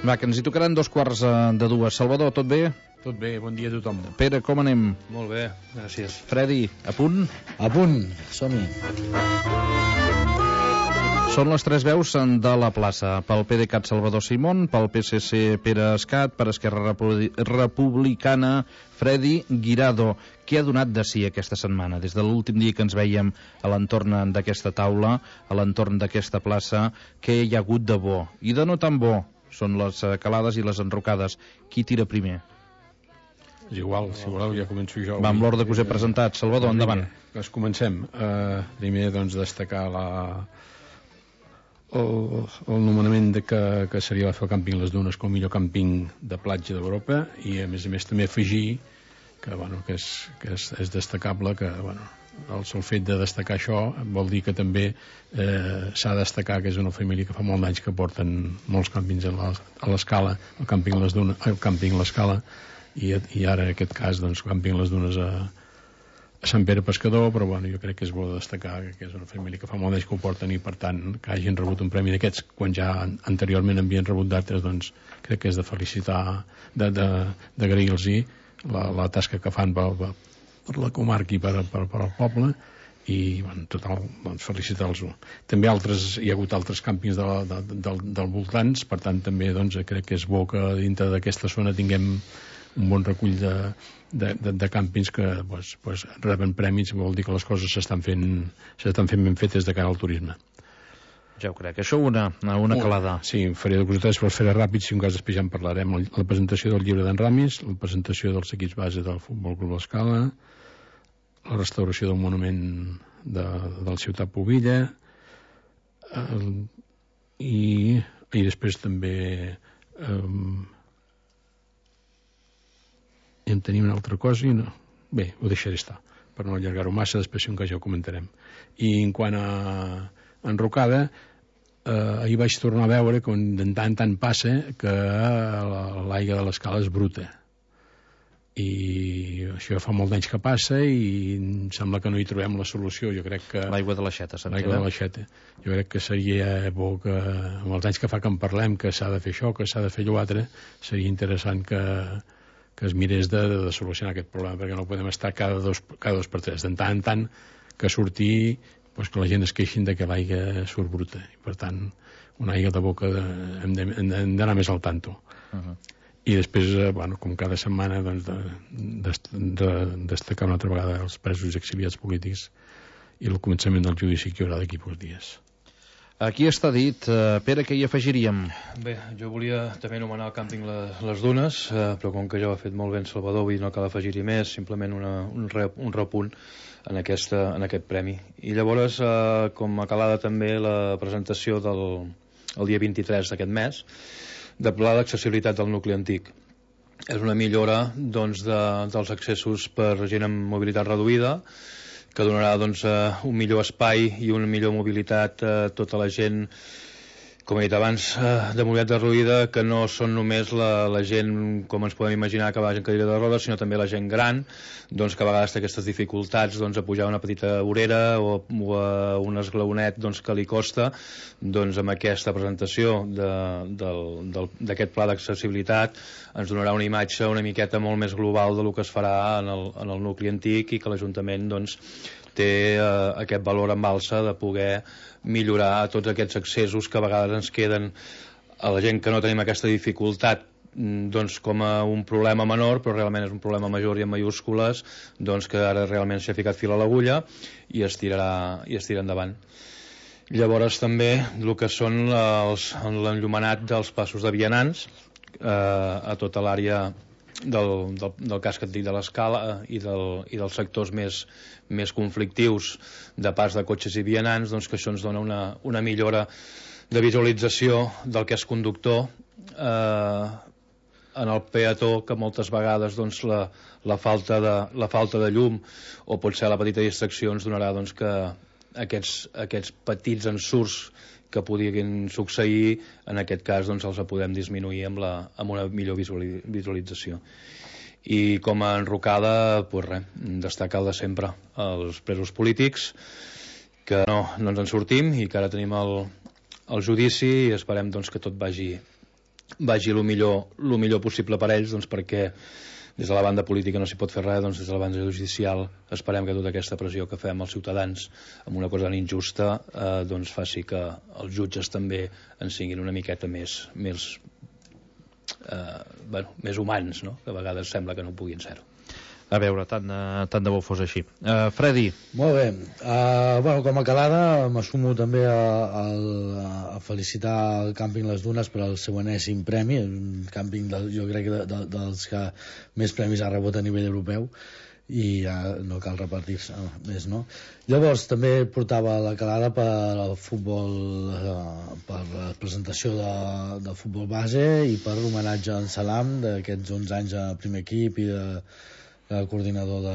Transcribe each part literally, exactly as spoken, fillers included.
Va, que ens hi tocaran dos quarts de dues. Salvador, tot bé? Tot bé, bon dia a tothom. Pere, com anem? Molt bé, gràcies. Fredi, a punt? A punt, som-hi. Són les tres veus de la plaça. Pel PDeCAT Salvador Simón, pel P S C Pere Escat, per Esquerra Repu- Republicana Fredi Guirado. Què ha donat de si aquesta setmana? Des de l'últim dia que ens veiem a l'entorn d'aquesta taula, a l'entorn d'aquesta plaça, què hi ha hagut de bo? I de no tan bo són les calades i les enrocades. Qui tira primer? És igual, si voleu ja començo jo. Va, amb l'ordre que us he presentat. Salvador, endavant. Doncs comencem. Uh, primer, doncs, destacar la... el, el nomenament de que, que seria la fer el càmping Les Dunes com el millor càmping de platja d'Europa, i a més a més també afegir que, bueno, que, és, que és, és destacable que, bueno, el sol fet de destacar això vol dir que també eh, s'ha de destacar que és una família que fa molts anys que porten molts càmpings a la- a l'Escala, el càmping Les Dunes, el càmping l'Escala, i, i ara en aquest cas doncs càmping Les Dunes a, a Sant Pere Pescador, però bueno, jo crec que és bo de destacar que és una família que fa molt anys que ho porten, i per tant que hagin rebut un premi d'aquests quan ja anteriorment havien rebut d'altres, doncs crec que és de felicitar, de, de, d'agrair-los la, la tasca que fan per, per, per la comarca i per, per, per al poble, i bueno, total, doncs felicitar-los. També altres, hi ha hagut altres càmpings de, la- de, de, del, del voltants, per tant també doncs, crec que és bo que dintre d'aquesta zona tinguem un bon recull de, de, de, de càmpings que pues, pues, reben premis. Vol dir que les coses s'estan fent s'estan fent ben fetes de cara al turisme. Ja ho crec. Això una, una calada. Sí, faré de costats per fer ràpid, si un cas després ja en parlarem. La, la presentació del llibre d'en Ramis, la presentació dels equips base del Futbol Club L'Escala, la restauració del monument de, del Ciutat Pobilla, el, i, i després també um, en tenim una altra cosa i no. Bé, ho deixaré estar per no allargar-ho massa, després si un cas ja ho comentarem. I en quant a enrocada, eh, ahir vaig tornar a veure que de tant en tant passa que l'aigua de l'Escala és bruta, i això fa molt d'anys que passa i em sembla que no hi trobem la solució. Jo crec que L'aigua de l'aixeta, se'n l'aigua de queda. l'aixeta, jo crec que seria bo que amb els anys que fa que en parlem que s'ha de fer això, que s'ha de fer allò altre, seria interessant que, que es mirés de, de solucionar aquest problema, perquè no podem estar cada dos, cada dos per tres, de tant en tant que sortir, doncs que la gent es queixin de que l'aigua surt bruta, i per tant una aigua de boca de, hem de- hem de- hem d'anar més al tanto. Uh-huh. I després, eh, bueno, com cada setmana, doncs, de, de, de, destacar una altra vegada els presos i exiliats polítics i el començament del judici que hi haurà d'aquí pocs dies. Aquí està dit. Uh, Pere, què hi afegiríem? Bé, jo volia també anomenar el càmping Les, les Dunes, eh, però com que ja ho ha fet molt bé en Salvador, vull dir, no cal afegir-hi més, simplement una, un, re, un repunt en, aquesta, en aquest premi. I llavors, eh, com a calada també la presentació del el dia vint-i-tres d'aquest mes, de pla d'accessibilitat del nucli antic. És una millora doncs, de, dels accessos per gent amb mobilitat reduïda, que donarà doncs, eh, un millor espai i una millor mobilitat a tota la gent, com he dit abans, eh, de mobilitat reduïda, que no són només la, la gent, com ens podem imaginar, que va en cadira de rodes, sinó també la gent gran, doncs, que a vegades té aquestes dificultats doncs, a pujar una petita vorera o, o a un esglaonet doncs, que li costa. Doncs amb aquesta presentació de- del- del- d'aquest pla d'accessibilitat ens donarà una imatge una miqueta molt més global del que es farà en el, en el nucli antic, i que l'Ajuntament doncs, té eh, aquest valor en alça de poder millorar tots aquests accessos que a vegades ens queden a la gent que no tenim aquesta dificultat mm, doncs com a un problema menor, però realment és un problema major i en mayúscules, doncs que ara realment s'ha ficat fil a l'agulla i es tirarà, i es tira endavant. Llavors també el que són els, l'enllumenat dels passos de vianants eh, a tota l'àrea del, del, del casc antic de l'Escala i, del, i dels sectors més, més conflictius de pas de cotxes i vianants, doncs que això ens dona una, una millora de visualització del que és conductor eh, en el peató, que moltes vegades doncs, la, la, falta de, la falta de llum o potser la petita distracció ens donarà doncs, que aquests, aquests petits ensurts que podrien succeir, en aquest cas doncs, els podem disminuir amb, la, amb una millor visualització. I com a enrocada, pues res, destacar el de sempre, els presos polítics, que no, no ens en sortim i que ara tenim el, el judici, i esperem doncs, que tot vagi vagi el millor, el millor possible per ells, doncs perquè des de la banda política no s'hi pot fer res, doncs des de la banda judicial esperem que tota aquesta pressió que fem als ciutadans amb una cosa tan injusta eh, doncs faci que els jutges també en siguin una miqueta més més, eh, bueno, més humans, no? Que a vegades sembla que no puguin ser-ho. A veure, tant de, tant de bo fos així. Uh, Freddy. Molt bé. Uh, bueno, com a calada m'assumo també a, a, a felicitar el Càmping Les Dunes per al seu enèsim premi, un càmping de, jo crec de, de, dels que més premis ha rebut a nivell europeu i ja no cal repartir-se més, no? Llavors també portava la calada per al futbol, uh, per la presentació de, de futbol base i per l'homenatge a en Salam d'aquests onze anys a primer equip i de el coordinador de,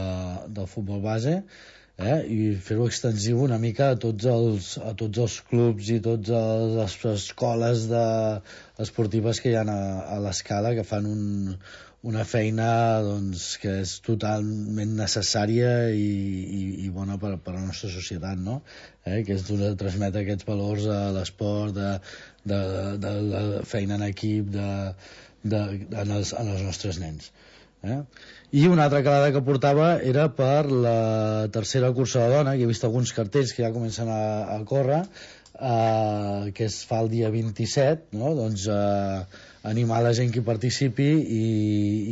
del futbol base, eh? I fer-ho extensiu una mica a tots els, a tots els clubs i totes les escoles de, esportives que hi ha a, a l'Escala, que fan un, una feina doncs, que és totalment necessària i, i, i bona per, per a la nostra societat, no? Eh? Que és de transmetre aquests valors a l'esport, de, de, de, de la feina en equip, de, de, en, els, en els nostres nens. Eh? I una altra calada que portava era per la tercera cursa de dona, que he vist alguns cartells que ja comencen a, a córrer, eh, que es fa el dia vint-i-set, no? Doncs eh, animar la gent que hi participi i,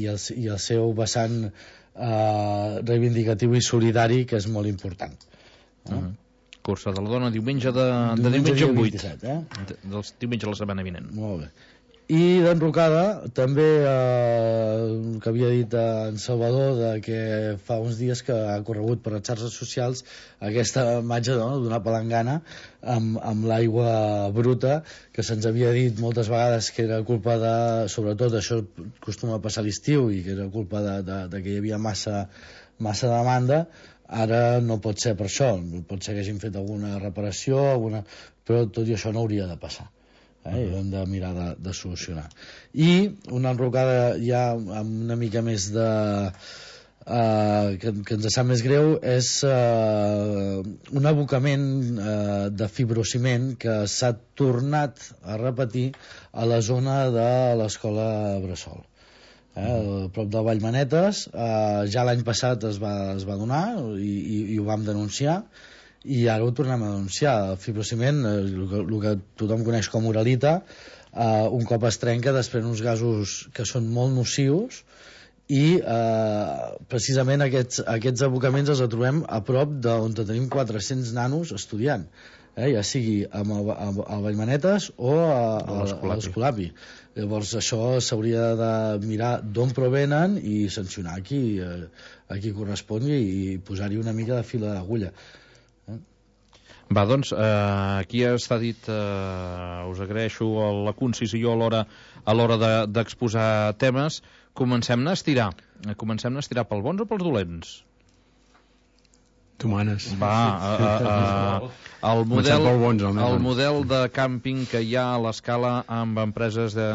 i, el, i el seu vessant eh, reivindicatiu i solidari, que és molt important. Eh? Uh-huh. Cursa de la dona diumenge de, de diumenge, diumenge vuit, vint-i-set, eh? de, dels diumenge la setmana vinent. Molt bé. I d'enrocada també eh, el que havia dit en Salvador, de que fa uns dies que ha corregut per les xarxes socials aquesta imatge, no?, d'una palangana amb, amb l'aigua bruta, que se'ns havia dit moltes vegades que era culpa de, sobretot això acostuma a passar a l'estiu, i que era culpa de, de, de que hi havia massa, massa demanda. Ara no pot ser per això, pot ser que hagin fet alguna reparació, alguna... però tot i això no hauria de passar. Eh, i hem de mirar de, de solucionar. I una enrocada ja amb una mica més de uh, que, que ens sap més greu és uh, un abocament uh, de fibrociment que s'ha tornat a repetir a la zona de l'escola Bressol, eh, a prop de Vallmanetes. Uh, ja l'any passat es va, es va donar i, i, i ho vam denunciar, i ara ho tornem a denunciar. El fibrociment, el que, el que tothom coneix com uralita, eh, un cop es trenca desprèn uns gasos que són molt nocius, i eh, precisament aquests, aquests abocaments els trobem a prop d'on tenim quatre-cents nanos estudiant, eh, ja sigui amb el, amb el Vallmanetes o a, a, a l'Escolapi. Llavors això s'hauria de mirar d'on provenen i sancionar qui, eh, a qui correspongui i posar-hi una mica de fila d'agulla. Va, doncs, eh, aquí està dit, eh, us agraeixo la concisió a l'hora a l'hora d'exposar de, temes. Comencem a estirar. Comencem a estirar pels bons o pels dolents? Tu manes. Va, a, a, a, el, model, bons, el model de càmping que hi ha a l'Escala amb empreses de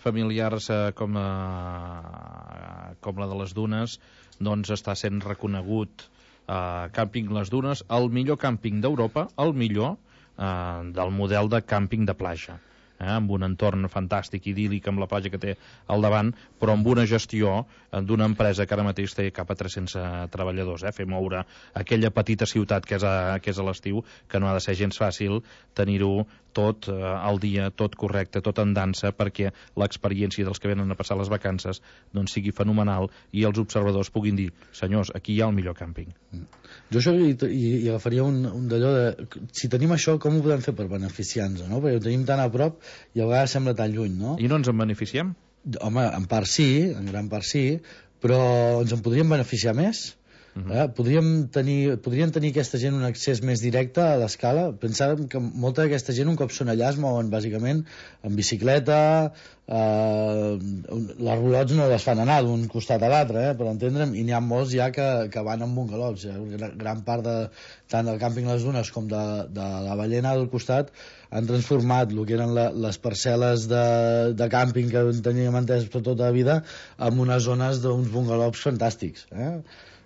familiars eh, com, a, com la de les Dunes, doncs està sent reconegut Uh, Càmping Les Dunes, el millor càmping d'Europa, el millor uh, del model de càmping de platja, eh, amb un entorn fantàstic, idíl·lic, amb la platja que té al davant, però amb una gestió uh, d'una empresa que ara mateix té cap a tres-cents treballadors, eh, fer moure aquella petita ciutat que és a, que és a l'estiu, que no ha de ser gens fàcil tenir-ho tot eh, al dia, tot correcte, tot en dansa, perquè l'experiència dels que venen a passar les vacances doncs sigui fenomenal i els observadors puguin dir, senyors, aquí hi ha el millor càmping. Jo això hi, hi, hi agafaria un, un d'allò de, si tenim això, com ho podem fer per beneficiar-nos, no? Perquè ho tenim tan a prop i a vegades sembla tan lluny, no? I no ens en beneficiem? Home, en part sí, en gran part sí, però ens en podríem beneficiar més. Uh-huh. eh? podríem tenir, podrien tenir aquesta gent un accés més directe a l'Escala. Pensàvem que molta d'aquesta gent un cop són allà es mouen bàsicament en bicicleta, eh, les roulots no les fan anar d'un costat a l'altre, eh, per entendre'm, i n'hi ha molts ja que, que van amb bungalows, eh? Gran part de, tant del càmping Les Dunes com de, de la Ballena del costat han transformat el que eren la, les parcel·les de, de càmping que teníem entès per tota la vida en unes zones d'uns bungalows fantàstics, eh?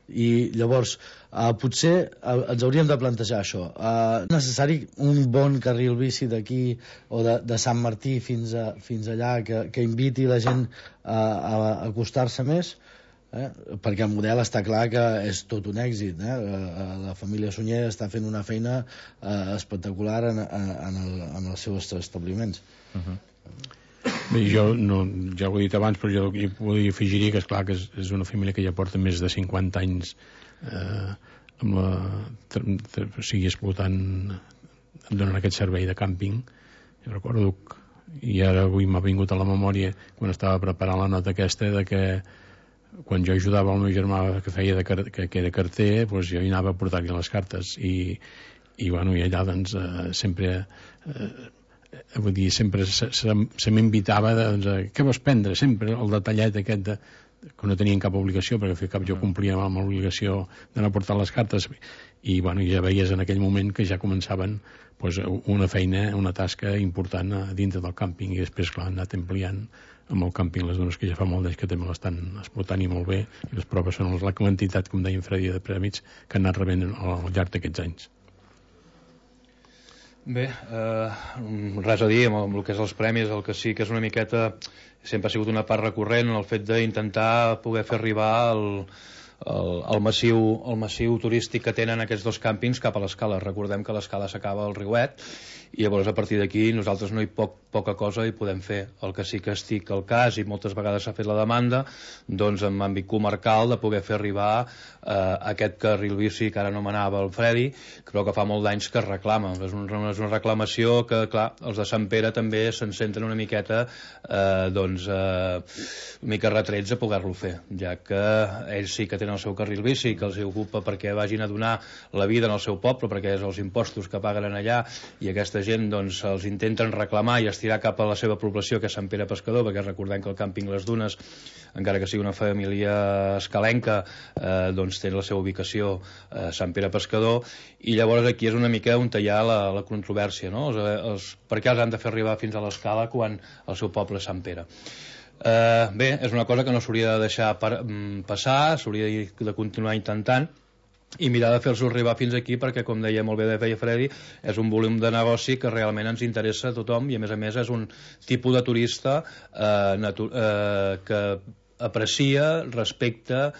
I llavors Uh, potser uh, ens hauríem de plantejar això. Uh, necessari un bon carril bici d'aquí o de, de Sant Martí fins, a, fins allà que, que inviti la gent uh, a, a acostar-se més, eh? Perquè el model està clar que és tot un èxit, eh? La família Sunyer està fent una feina uh, espectacular en, en, el, en els seus establiments. Uh-huh. Bé, jo no, ja ho he dit abans, però jo hi podria afegir que és clar que és, és una família que ja porta més de cinquanta anys eh, amb la, o sigui, explotant, donant aquest servei de càmping. Jo recordo que, i ara avui m'ha vingut a la memòria quan estava preparant la nota aquesta, de que quan jo ajudava el meu germà que feia de, que, que era carter, doncs jo hi anava a portar-li les cartes i, i, bueno, i allà doncs, eh, sempre eh, vull dir, sempre se, se, se m'invitava doncs, a, què vols prendre? Sempre el detallet aquest de, que no tenien cap obligació, perquè al cap jo complia amb l'obligació d'anar a portar les cartes i, bueno, ja veies en aquell moment que ja començaven doncs, una feina, una tasca important a dintre del càmping, i després, clar, han anat ampliant amb el càmping Les Dunes, que ja fa molt d'anys que també l'estan explotant i molt bé, i les proves són la quantitat, com deia en Freddy, de prèmits que han anat rebent al llarg d'aquests anys. Bé, eh, res a dir amb el que és els premis. El que sí que és una miqueta, sempre ha sigut una part recurrent, el fet d'intentar poder fer arribar el, el, el, massiu, el massiu turístic que tenen aquests dos càmpings cap a l'Escala. Recordem que l'Escala s'acaba al Riuet i llavors a partir d'aquí nosaltres no hi poc, poca cosa hi podem fer. El que sí que estic al cas, i moltes vegades s'ha fet la demanda, doncs en àmbit comarcal, de poder fer arribar eh, aquest carril bici que ara anomenava el Freddy, però que fa molt d'anys que es reclama. És una, és una reclamació que, clar, els de Sant Pere també se'n senten una miqueta eh, doncs, eh, una mica retrets a poder-lo fer, ja que ells sí que tenen el seu carril bici, que els ocupa perquè vagin a donar la vida en el seu poble, perquè és els impostos que paguen en allà, i aquesta gent doncs, els intenten reclamar i estirar cap a la seva població, que és Sant Pere Pescador, perquè recordem que el càmping Les Dunes, encara que sigui una família escalenca, eh, doncs té la seva ubicació a Sant Pere Pescador, i llavors aquí és una mica on hi ha la, la controvèrsia, no? Els, els, per què els han de fer arribar fins a l'Escala quan el seu poble és Sant Pere? Eh, bé, és una cosa que no s'hauria de deixar per, passar, s'hauria de continuar intentant i mirar de fer-los arribar fins aquí, perquè, com deia molt bé de feia Freddy, és un volum de negoci que realment ens interessa a tothom, i a més a més és un tipus de turista eh, natu eh, que aprecia, respecta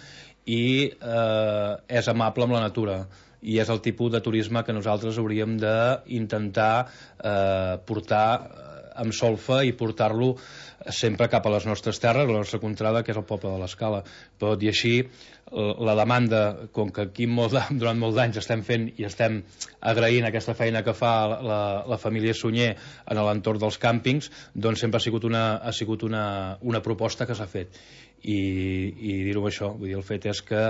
i eh, és amable amb la natura, i és el tipus de turisme que nosaltres hauríem d'intentar eh, portar amb solfa i portar-lo sempre cap a les nostres terres, la nostra contrada, que és el poble de l'Escala. Però tot i així, la demanda, com que aquí molt, durant molts anys estem fent i estem agraint aquesta feina que fa la, la família Sunyer en l'entorn dels càmpings, doncs sempre ha sigut una, ha sigut una, una proposta que s'ha fet. I, i dir-ho això, vull dir, el fet és que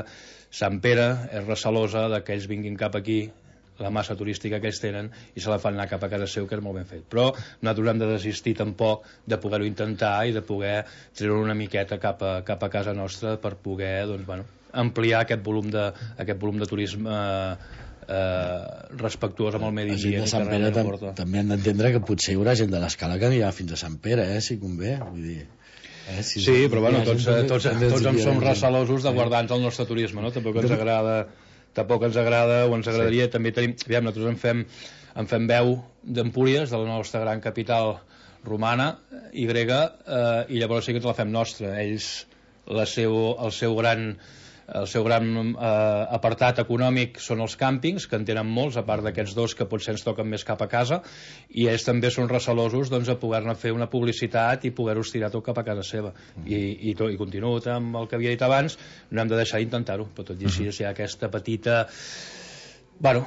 Sant Pere és recelosa de que ells vinguin cap aquí, la massa turística que ells tenen, i se la fan anar cap a casa seu, que és molt ben fet. Però nosaltres hem de desistir tampoc de poder-ho intentar i de poder treure una miqueta cap a, cap a casa nostra per poder, doncs, bueno, ampliar aquest volum de, aquest volum de turisme eh, eh, respectuós amb el medi ambient. La gent de Sant Pere tam també han d'entendre que potser hi haurà gent de l'Escala que anirà fins a Sant Pere, eh, si convé, vull dir... Eh, si sí, però bueno, tots, tots, tots, tots en som recelosos de guardar-nos el nostre turisme, no? Tampoc ens agrada... tampoc ens agrada o ens agradaria, sí. També tenim, aviam, nosaltres en fem, en fem veu d'Empúries, de la nostra gran capital romana i grega, eh, i llavors sí que ens la fem nostra. Ells, la seu, el seu gran, el seu gran eh, apartat econòmic són els càmpings, que en tenen molts, a part d'aquests dos que potser ens toquen més cap a casa, i ells també són recelosos, doncs, a poder-ne fer una publicitat i poder-ho estirar tot cap a casa seva. Mm. I, i, tot, i continuo amb el que havia dit abans, no hem de deixar d'intentar-ho, però tot i així, mm-hmm. si hi ha aquesta petita... bueno,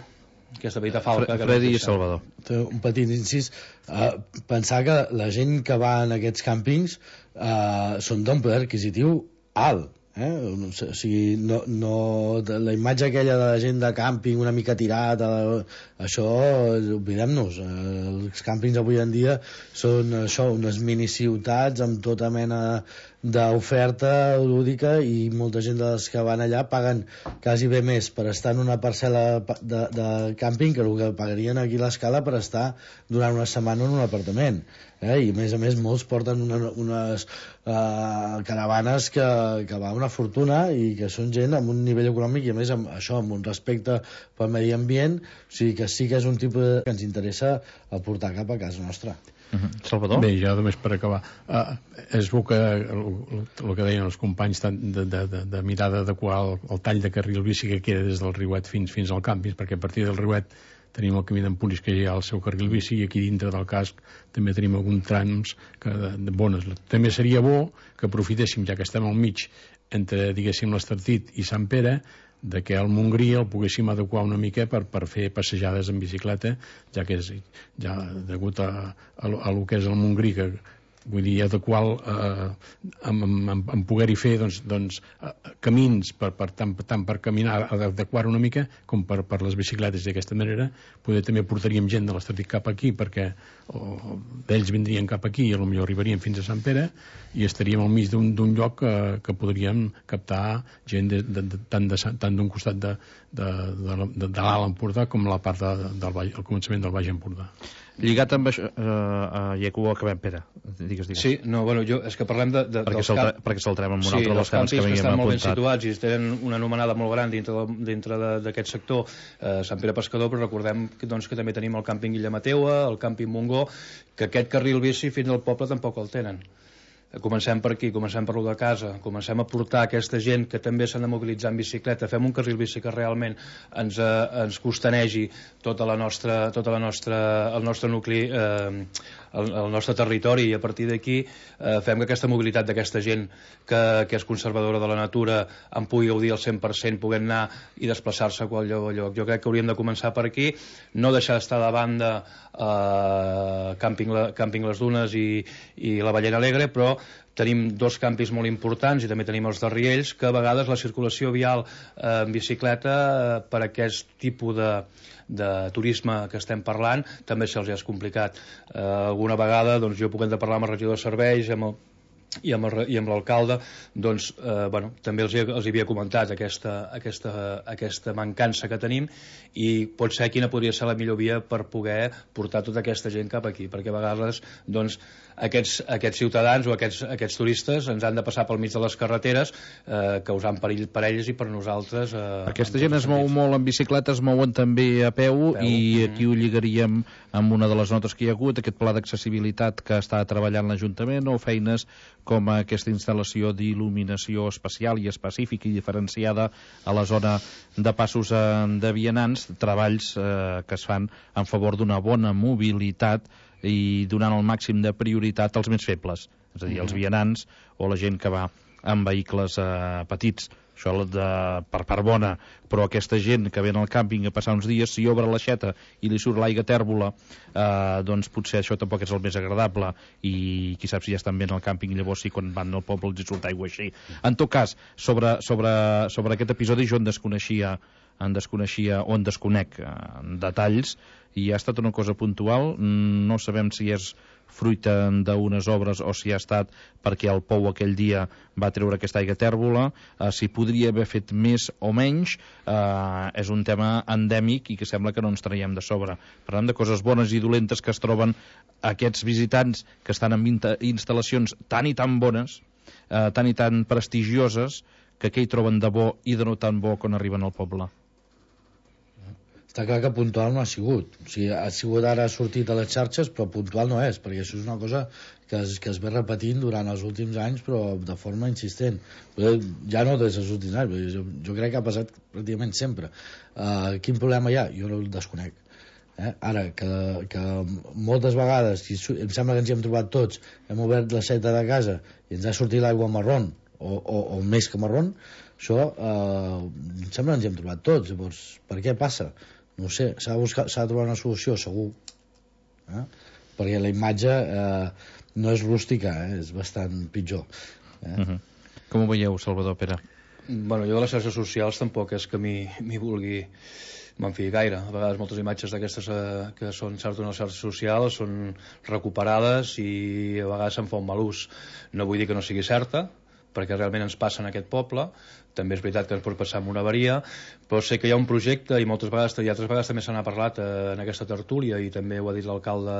aquesta petita falca... Freddy i Salvador. Un petit incís. Uh, pensar que la gent que va en aquests càmpings uh, són d'un poder adquisitiu alt. Eh? O sigui, no, no, la imatge aquella de la gent de càmping una mica tirat, això oblidem-nos. Els càmpings avui en dia són això, unes miniciutats amb tota mena d'oferta lúdica, i molta gent dels que van allà paguen quasi bé més per estar en una parcel·la de, de càmping que el que pagarien aquí a l'Escala per estar durant una setmana en un apartament. Eh? I a més a més molts porten una, unes uh, caravanes que, que va una fortuna i que són gent amb un nivell econòmic i a més amb això, amb un respecte pel medi ambient, o sigui que sí que és un tipus de... que ens interessa aportar cap a casa nostra. Uh-huh. Salvador? Bé, ja només per acabar, uh, és bo que el, el que deien els companys de, de, de, de mirar d'adequar el, el tall de carril bici que queda des del Riuet fins, fins al càmping, perquè a partir del Riuet tenim el camí d'Empúries que ja hi ha el seu carril bici, i aquí dintre del casc també tenim alguns trams que, de, de bones. També seria bo que aprofitéssim, ja que estem al mig entre, diguéssim, l'Estartit i Sant Pere, de que al Montgrí el poguéssim adequar una mica per, per fer passejades en bicicleta, ja que és ja degut a, a, a lo que és el Montgrí, que vull dir, adequar eh, amb, amb, amb poder-hi fer doncs, doncs, eh, camins per, per, tant, tant per caminar, adequar una mica com per, per les bicicletes. D'aquesta manera poder també portaríem gent de l'Estartit cap aquí, perquè d'ells vindrien cap aquí i potser arribarien fins a Sant Pere i estaríem al mig d'un lloc que, que podríem captar gent de, de, de, tant d'un costat de, de, de, de, de l'Alt Empordà com la part de, del Baix, el començament del Baix Empordà. Lligat amb això, eh, uh, ja que ho acabem, Pere, digues, digues. Sí, no, bueno, jo, és que parlem de... de perquè dels camp... perquè saltarem amb un sí, altre dels camps que, que estan molt ben apuntat. situats i tenen una anomenada molt gran dintre, de, dintre d'aquest sector, eh, Sant Pere Pescador, però recordem que, doncs, que també tenim el càmping Illa Mateua, el càmping Montgó, que aquest carril bici fins al poble tampoc el tenen. Comencem per aquí, comencem per lo de casa, comencem a portar aquesta gent que també s'han de mobilitzar en bicicleta, fem un carril bici que realment ens, eh, ens costanegi tota la nostra, tota la nostra, el nostre nucli, eh, el, el nostre territori, i a partir d'aquí eh, fem que aquesta mobilitat d'aquesta gent que, que és conservadora de la natura en pugui gaudir al cent per cent, puguem anar i desplaçar-se a qual lloc a lloc. Jo crec que hauríem de començar per aquí, no deixar d'estar de banda eh, càmping, la, càmping Les Dunes i, i la Ballena Alegre, però tenim dos campis molt importants i també tenim els de Riells, que a vegades la circulació vial eh, en bicicleta eh, per aquest tipus de, de turisme que estem parlant també se'ls és complicat. Eh, alguna vegada doncs, jo puc hem de parlar amb el regidor de serveis, amb el i amb, el, i amb l'alcalde, doncs, eh, bueno, també els, els havia comentat aquesta, aquesta, aquesta mancança que tenim, i pot ser quina podria ser la millor via per poder portar tota aquesta gent cap aquí, perquè a vegades doncs, aquests, aquests ciutadans o aquests, aquests turistes ens han de passar pel mig de les carreteres, eh, causant perill per ells i per nosaltres. Eh, aquesta gent es mou molt en bicicleta, es mouen també a peu, a peu. I aquí ho lligaríem amb una de les notes que hi ha hagut, aquest pla d'accessibilitat que està treballant l'Ajuntament, o feines com aquesta instal·lació d'il·luminació especial i específica i diferenciada a la zona de passos de vianants, treballs eh, que es fan en favor d'una bona mobilitat i donant el màxim de prioritat als més febles, és a dir, els vianants o la gent que va en vehicles eh, petits. Això de, per part bona, però aquesta gent que ve al càmping a passar uns dies, si obre l'aixeta i li surt l'aigua tèrbola, eh, doncs potser això tampoc és el més agradable, i qui sap si ja estan bé al càmping, llavors sí, quan van al poble els surt aigua així. En tot cas, sobre, sobre, sobre aquest episodi jo en desconeixia, en desconeixia o en desconec eh, detalls, i ha estat una cosa puntual, no sabem si és fruita d'unes obres o si ha estat perquè el pou aquell dia va treure aquesta aigua tèrbola, eh, si podria haver fet més o menys, eh, és un tema endèmic i que sembla que no ens traiem de sobre. Parlem de coses bones i dolentes que es troben aquests visitants que estan en instal·lacions tan i tan bones, eh, tan i tan prestigioses, que què hi troben de bo i de no tan bo quan arriben al poble. Està clar que puntual no ha sigut. O sigui, ha sigut ara ha sortit a les xarxes, però puntual no és, perquè això és una cosa que es, que es ve repetint durant els últims anys, però de forma insistent. Ja no des dels últims anys, jo, jo crec que ha passat pràcticament sempre. Uh, quin problema hi ha? Jo no el desconec. Eh? Ara, que, que moltes vegades, i em sembla que ens hi hem trobat tots, hem obert la seta de casa i ens ha sortit l'aigua marrón, o, o, o més que marrón, això uh, em sembla que ens hi hem trobat tots. Llavors, per què passa? No sé, s'ha de, buscar, s'ha de trobar una solució, segur. Eh? Perquè la imatge eh, no és rústica, eh? És bastant pitjor. Eh? Uh-huh. Com ho veieu, Salvador, Pere? Bueno, jo de les xarxes socials tampoc és que m'hi vulgui me'n fiï gaire. A vegades moltes imatges d'aquestes eh, que són surten a les xarxes socials són recuperades i a vegades se'n fa un mal ús. No vull dir que no sigui certa, perquè realment ens passa en aquest poble. També és veritat que ens pot passar amb una avaria, però sé que hi ha un projecte i moltes vegades, i altres vegades també se n'ha parlat eh, en aquesta tertúlia i també ho ha dit l'alcalde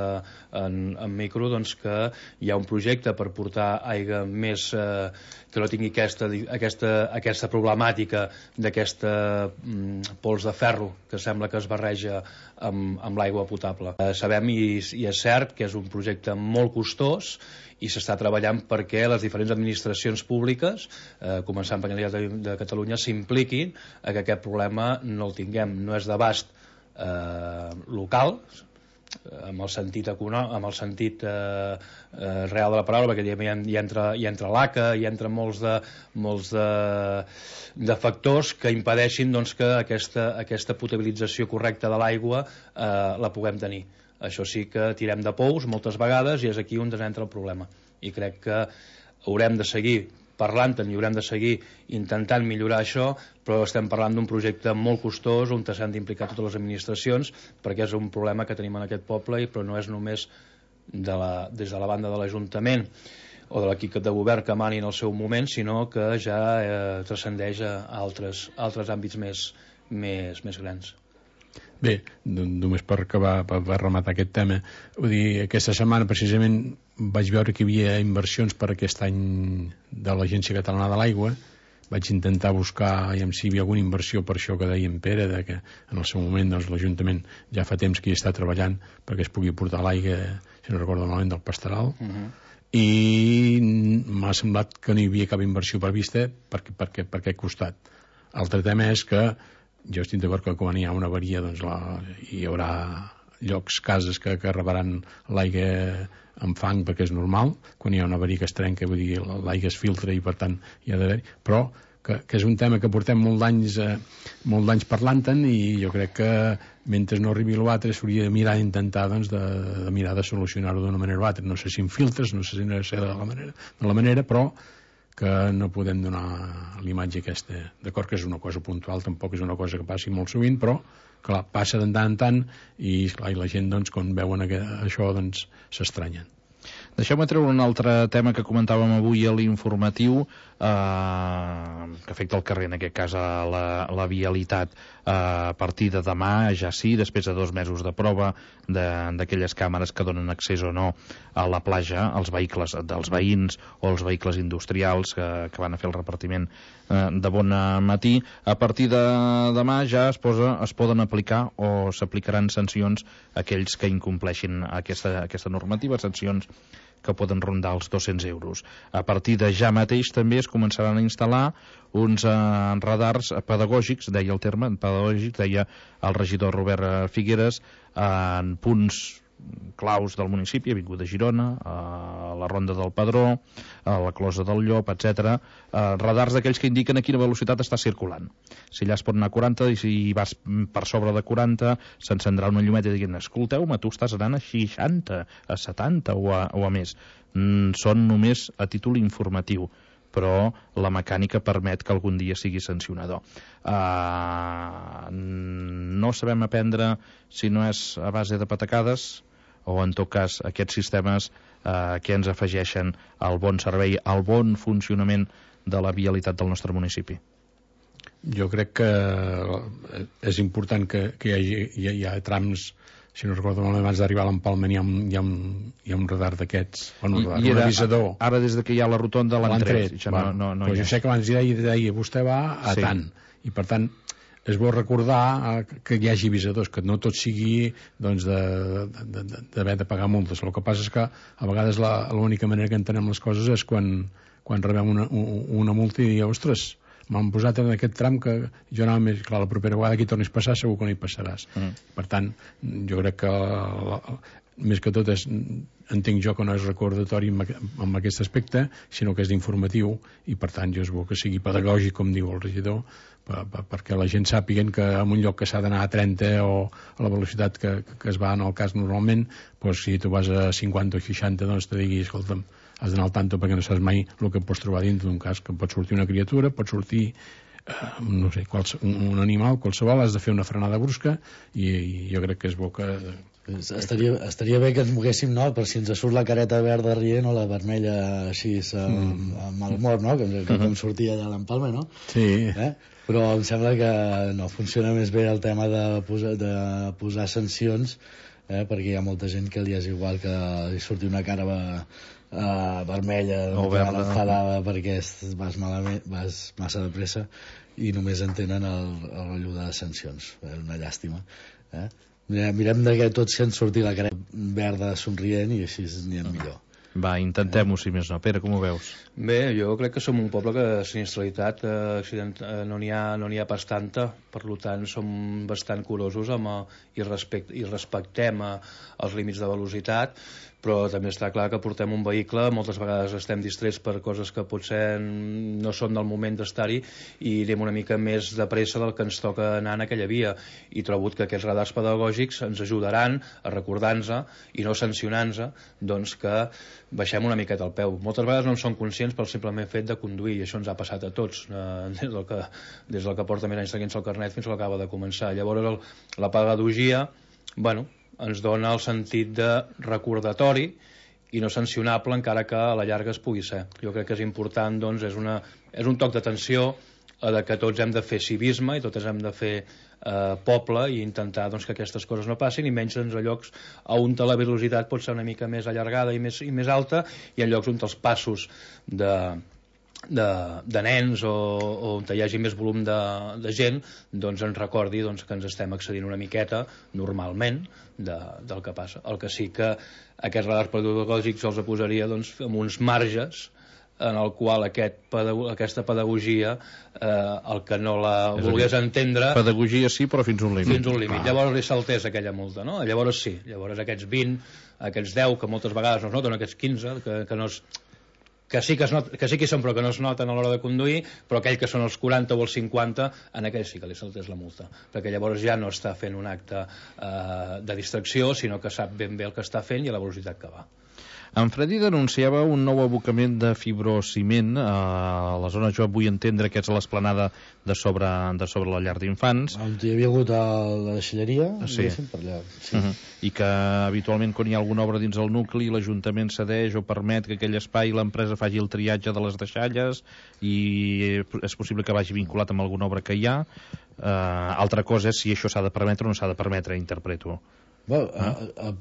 en, en micro, doncs que hi ha un projecte per portar aigua més eh, que no tingui aquesta, aquesta, aquesta problemàtica d'aquesta mm, pols de ferro que sembla que es barreja amb, amb l'aigua potable. Eh, sabem i, i és cert que és un projecte molt costós i s'està treballant perquè les diferents administracions públiques, eh, començant per la Generalitat de Catalunya, s'impliquin a que aquest problema no el tinguem. No és d'abast eh, local, amb el sentit econòmic, amb el sentit eh, eh, real de la paraula, perquè hi, hi entra, hi entra l'A C A, hi entra molts de, molts de, de factors que impedeixin doncs, que aquesta, aquesta potabilització correcta de l'aigua eh, la puguem tenir. Això sí que tirem de pous moltes vegades i és aquí on entra el problema. I crec que haurem de seguir parlant-en i haurem de seguir intentant millorar això, però estem parlant d'un projecte molt costós on s'han d'implicar totes les administracions perquè és un problema que tenim en aquest poble, però no és només de la, des de la banda de l'Ajuntament o de l'equip de govern que mani en el seu moment, sinó que ja eh, transcendeix a altres, altres àmbits més, més, més grans. Bé, només per acabar, per rematar aquest tema, vull dir, aquesta setmana precisament vaig veure que hi havia inversions per aquest any de l'Agència Catalana de l'Aigua. Vaig intentar buscar i si hi havia alguna inversió per això que deia en Pere, de que en el seu moment doncs, l'Ajuntament ja fa temps que hi està treballant perquè es pugui portar l'aigua, si no recordo malament, del Pastoral. Uh -huh. I m'ha semblat que no hi havia cap inversió prevista per, per, per, per aquest costat. L'altre tema és que jo estic d'acord que quan hi ha una avaria doncs la, hi haurà llocs, cases que, que rebaran l'aigua amb fang perquè és normal, quan hi ha una avaria que es trenca, vull dir, l'aigua es filtra i per tant hi ha d'haver, però que, que és un tema que portem molt d'anys eh, molt d'anys parlant-en i jo crec que mentre no arribi l'altre s'hauria de mirar d'intentar doncs, de, de mirar de solucionar-ho d'una manera o altra, no sé si amb filtres, no sé si no sé de la manera, de la manera però que no podem donar l'imatge aquesta. D'acord que és una cosa puntual, tampoc és una cosa que passi molt sovint, però clar, passa de tant en tant i, clar, i la gent doncs, quan veuen això doncs, s'estranyen. Deixeu-me treure un altre tema que comentàvem avui a l'informatiu, eh, que afecta el carrer, en aquest cas a la, la vialitat. Eh, a partir de demà, ja sí, després de dos mesos de prova d'aquelles càmeres que donen accés o no a la platja, als vehicles dels veïns o els vehicles industrials que, que van a fer el repartiment eh, de bon matí, a partir de demà ja es, posa, es poden aplicar o s'aplicaran sancions a aquells que incompleixin aquesta, aquesta normativa, sancions que poden rondar els dos-cents euros. A partir de ja mateix també es començaran a instal·lar uns eh, radars pedagògics, deia el terme, pedagògics, deia el regidor Robert Figueres, eh, en punts claus del municipi, Avinguda Girona, a la Ronda del Padró, a la Closa del Llop, etcètera. Eh, radars d'aquells que indiquen a quina velocitat està circulant. Si allà es pot anar a quaranta i si vas per sobre de quaranta s'encendrà una llumeta dient escolteu-me, tu estàs anant a seixanta, a setanta o a, o a més. Mm, són només a títol informatiu, però la mecànica permet que algun dia sigui sancionador. Uh, no sabem aprendre si no és a base de patacades o en tot cas aquests sistemes uh, que ens afegeixen al bon servei, al bon funcionament de la vialitat del nostre municipi. Jo crec que és important que, que hi, hagi, hi, ha, hi ha trams, si no recordo malament, abans d'arribar a l'Empalment hi ha, hi, ha, hi ha un radar d'aquests, bueno, un, radar, I, i un era, avisador. Ara des de que hi ha la rotonda l'han tret. No, no, no, jo sé que abans deia, deia vostè va a sí. tant, i per tant és bo recordar que hi hagi avisadors, que no tot sigui doncs, d'haver de, de, de pagar multes. El que passa és que a vegades l'única manera que entenem les coses és quan, quan rebem una, una multa i dir, ostres, m'han posat en aquest tram que jo anava més, clar, la propera vegada que hi tornis a passar segur que no hi passaràs. Mm. Per tant, jo crec que la, més que tot és, entenc jo que no és recordatori en aquest aspecte, sinó que és d'informatiu i per tant jo és bo que sigui pedagògic, com diu el regidor, per, per, perquè la gent sàpiguen que en un lloc que s'ha d'anar a trenta o a la velocitat que, que es va en el cas normalment, doncs si tu vas a cinquanta o seixanta doncs te digui, escolta'm, has d'anar al tanto perquè no saps mai el que pots trobar dintre d'un cas, que pot sortir una criatura, pot sortir no sé, quals, un, un animal qualsevol, has de fer una frenada brusca i, i jo crec que és bo que... Estaria, estaria bé que ens moguéssim, no?, per si ens surt la careta verda rient o la vermella així amb, amb mal humor, no?, que, que com sortia allà a l'Empalme, no? Sí. Eh? Però em sembla que no funciona més bé el tema de posar, de posar sancions, eh? Perquè hi ha molta gent que li és igual que li surti una cara uh, vermella o verda, enfadada perquè vas, malament, vas massa de pressa i només entenen el, el rotllo de sancions. És una llàstima, eh? Mirem de que tots se'n surti la cara verda somrient i així n'hi ha millor. Va, intentem-ho, si més no. Pere, com ho veus? Bé, jo crec que som un poble que sinistralitat eh, accident, eh, no n'hi ha, no n'hi ha pas tanta, per tant som bastant curosos amb, eh, i, respect, i respectem eh, els límits de velocitat, però també està clar que portem un vehicle, moltes vegades estem distrets per coses que potser no són del moment d'estar-hi i anem una mica més de pressa del que ens toca anar en aquella via, i trobo que aquests radars pedagògics ens ajudaran a recordar-nos i no sancionar-nos, doncs que baixem una miqueta el peu. Moltes vegades no en som conscients pel simplement fet de conduir, i això ens ha passat a tots, eh, des, del que, des del que porta més anys seguint-se el carnet fins al que acaba de començar. Llavors el, la pedagogia, bueno, ens dona el sentit de recordatori i no sancionable, encara que a la llarga es pugui ser. Jo crec que és important, doncs, és, una, és un toc d'atenció a de que tots hem de fer civisme i tots hem de fer eh, poble i intentar, doncs, que aquestes coses no passin, i menys doncs, a llocs on la velocitat pot ser una mica més allargada i més, i més alta, i en llocs on els passos de... De, de nens o, o on hi hagi més volum de, de gent, doncs ens recordi doncs, que ens estem accedint una miqueta normalment de, del que passa. El que sí que aquests radars pedagògics els posaria doncs, amb uns marges en el qual aquest pedago aquesta pedagogia eh, el que no la és volgués dir, entendre... Pedagogia sí, però fins un límit. Fins un límit. Ah. Llavors li saltés aquella multa, no? Llavors sí, llavors aquests vint, aquests deu, que moltes vegades no es noten, aquests quinze, que, que no es... que sí que, es not, que sí que hi són però que no es noten a l'hora de conduir, però aquell que són els quaranta o els cinquanta, en aquell sí que li saltés la multa, perquè llavors ja no està fent un acte eh, de distracció, sinó que sap ben bé el que està fent i a la velocitat que va. En Freddy denunciava un nou abocament de fibrociment a la zona, jo vull entendre que és l'esplanada de sobre, de sobre la llar d'infants. On hi havia hagut la deixalleria, sí. Per allà. Sí. Uh -huh. I que habitualment quan hi ha alguna obra dins el nucli l'Ajuntament cedeix o permet que aquell espai l'empresa faci el triatge de les deixalles i és possible que vagi vinculat amb alguna obra que hi ha. Uh, altra cosa és si això s'ha de permetre o no s'ha de permetre, interpreto. Bueno, ah. a, a,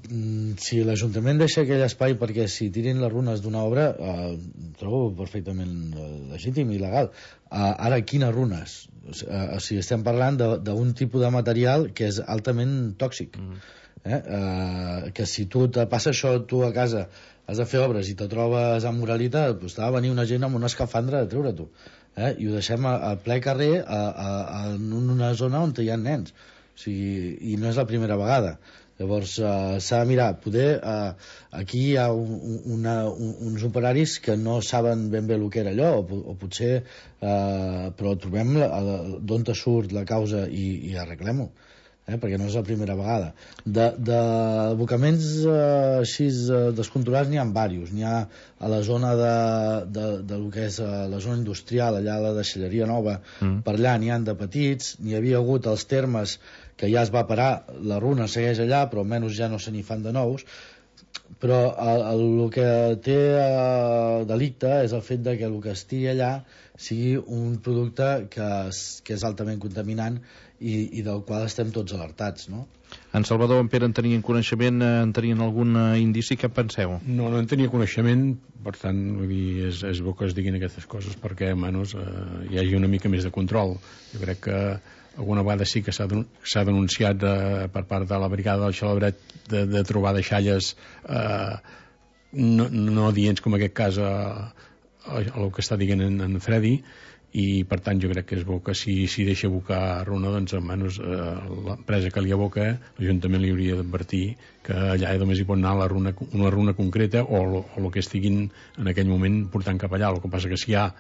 si l'Ajuntament deixa aquell espai perquè si tirin les runes d'una obra, eh, trobo perfectament legítim i legal. Eh, ara, quines runes? Eh, o sigui, estem parlant d'un tipus de material que és altament tòxic. Mm. Eh? Eh, que si tu te passa això tu a casa, has de fer obres i te trobes amb moralitat, doncs t'ha de venir una gent amb una escafandra a treure-t'ho. Eh? I ho deixem a, a ple carrer a, a, a, en una zona on hi ha nens. O sigui, i no és la primera vegada. Llavors uh, s'ha de mirar, poder uh, aquí hi ha un, una, un, uns operaris que no saben ben bé el que era allò, o, o potser uh, però trobem d'on te surt la causa i, i arreglem-ho, eh? Perquè no és la primera vegada. D'abocaments uh, així uh, descontrolats n'hi ha diversos. N'hi ha a la zona de, de, de lo que és uh, la zona industrial, allà a la deixalleria nova, mm. per allà n'hi ha de petits, n'hi havia hagut els termes que ja es va parar, la runa segueix allà, però almenys ja no se n'hi fan de nous, però el, el, el que té eh, delicte és el fet de que el que estigui allà sigui un producte que, es, que és altament contaminant i, i del qual estem tots alertats, no? En Salvador, en Pere, en tenien coneixement, en tenien algun indici, què penseu? No, no en tenia coneixement, per tant, vull dir, és, és bo que es diguin aquestes coses perquè, almenys, eh, hi hagi una mica més de control. Jo crec que alguna vegada sí que s'ha denunciat eh, per part de la brigada del Xalabret de, de trobar deixalles eh, no, no adients com en aquest cas a, a, a el que està dient en, en Freddy, i per tant jo crec que és bo que si, si deixa abocar runa, doncs almenys eh, l'empresa que li aboca, l'Ajuntament li hauria d'advertir que allà només hi pot anar la runa, una runa concreta o, o el que estiguin en aquell moment portant cap allà. El que passa que si hi ha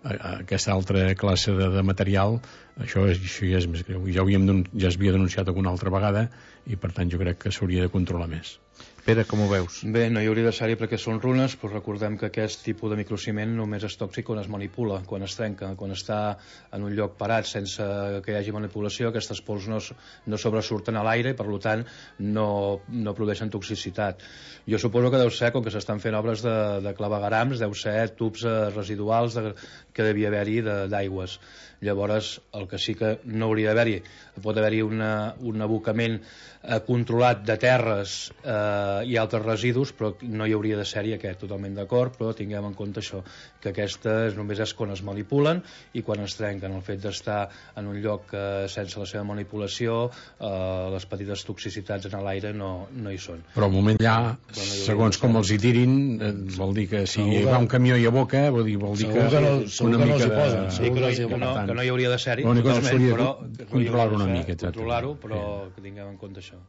aquesta altra classe de, de material, això, és, això ja és més greu. Ja, havíem, ja es havia denunciat alguna altra vegada i per tant jo crec que s'hauria de controlar més. Pere, com ho veus? Bé, no hi hauria de ser-hi perquè són runes, però recordem que aquest tipus de microciment només és tòxic quan es manipula, quan es trenca, quan està en un lloc parat sense que hi hagi manipulació, aquestes pols no, no sobresurten a l'aire i per tant no, no produeixen toxicitat. Jo suposo que deu ser, com que s'estan fent obres de, de clavegarams, deu ser tubs eh, residuals de, que devia haver-hi d'aigües. Llavors, el que sí que no hauria d'haver-hi, pot haver-hi un abocament eh, controlat de terres eh, i altres residus, però no hi hauria de ser-hi aquest, totalment d'acord, però tinguem en compte això, que aquestes només és quan es manipulen i quan es trenquen. El fet d'estar en un lloc eh, sense la seva manipulació, eh, les petites toxicitats en l'aire no, no hi són. Però al moment ja, no segons com els hi tirin, eh, vol dir que si hi va un camió i aboca, vol dir, vol dir que, que, no, una que mica no de... posen, Sí, que, no, que, no, que no hi hauria de ser-hi, però controlar-ho una mica. Controlar-ho, però que tinguem en compte això.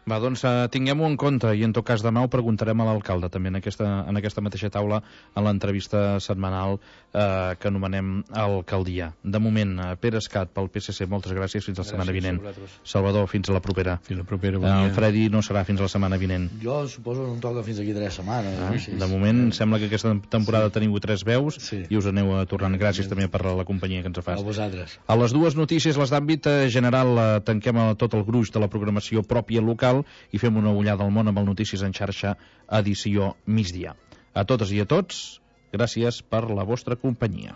Va, doncs uh, tinguem-ho en compte i en tot cas demà ho preguntarem a l'alcalde també en aquesta, en aquesta mateixa taula en l'entrevista setmanal uh, que anomenem alcaldia. De moment, uh, Pere Escat pel P S C, moltes gràcies, fins la setmana vinent. Salvador, fins a la propera. Fins la propera, bon dia. El Fredi no serà fins a la setmana vinent. Jo suposo que no em toca fins aquí tres setmanes. Ah, sí, de moment sí. Sembla que aquesta temporada sí. Teniu tres veus sí. I us aneu tornant. Gràcies sí. També per la companyia que ens fas. A vosaltres. A les dues notícies, les d'àmbit general, uh, tanquem tot el gruix de la programació pròpia local i fem una ullada al món amb el Notícies en xarxa, edició migdia. A totes i a tots, gràcies per la vostra companyia.